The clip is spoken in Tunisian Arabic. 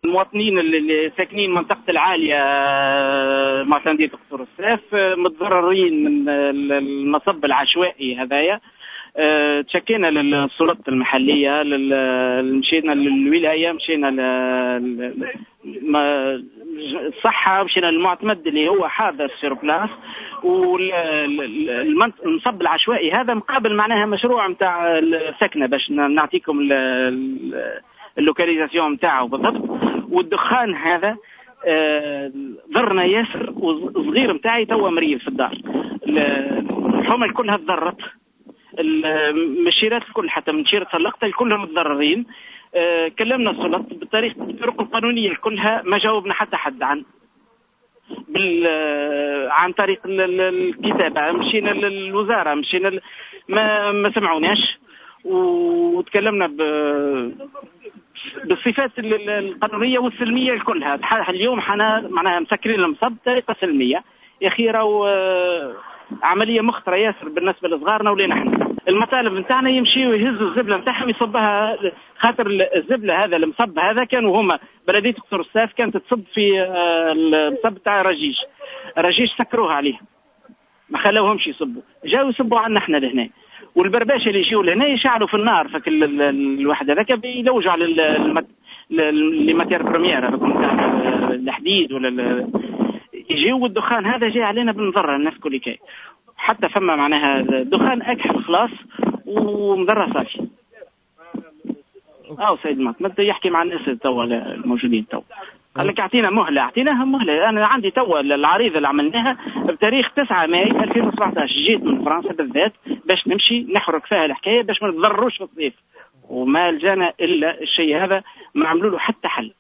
المواطنين اللي ساكنين منطقة العالية معتمدية قصور الساف متضررين من المصب العشوائي هذايا. تشكينا للسلطات المحلية، مشينا للولاية، مشينا للصحة، مشينا للمعتمد اللي هو حاضر sur place. والمصب العشوائي هذا مقابل معناها مشروع نتاع السكنة، باش نعطيكم ال localisation نتاعو بالضبط. والدخان هذا ضرنا ياسر، والصغير نتاعي توا مريض في الدار. الحومه كلها تضرت، المشيرات الكل حتى من شيرة اللقطة كلهم متضررين. كلمنا السلطات بالطرق القانونية كلها، ما جاوبنا حتى حد عن طريق الكتابة. مشينا للوزارة، مشينا ما سمعوناش، وتكلمنا بالصفات القانونية والسلميه كلها. اليوم حنا معناها مسكرين المصب بطريقة سلمية يا اخي، راهو عملية مخطره ياسر بالنسبة لصغارنا ولينا احنا. المطالب نتاعنا يمشيوا يهزوا الزبله نتاعهم يصبها، خاطر الزبله هذا المصب هذا كانوا هما بلديه قصر الساف كانت تصب في المصب تاع رجيج، رجيج سكروها عليه ما خلوهمش يصبوا، جاوا يصبوا عنا احنا لهنا. والبرباشه اللي يجيو لهنا يشعلوا في النار، فك الواحد هذاك يلوجوا على les matières premières هذوك نتاع الحديد ولا يجيو، والدخان هذا جاي علينا بالمضره الناس كل كي، حتى فما معناها دخان اكحل خلاص ومضره صافي. سيد المعتمد يحكي مع الناس توا الموجودين توا، قال لك اعطينا مهله، اعطيناها مهله. انا عندي توا العريضة اللي عملناها بتاريخ 9 ماي 2017، جيت من فرنسا بالذات باش نمشي نحرك فيها الحكاية باش ما نتضرروش في الصيف، وما لجانا الا الشيء هذا، ما عملوا له حتى حل.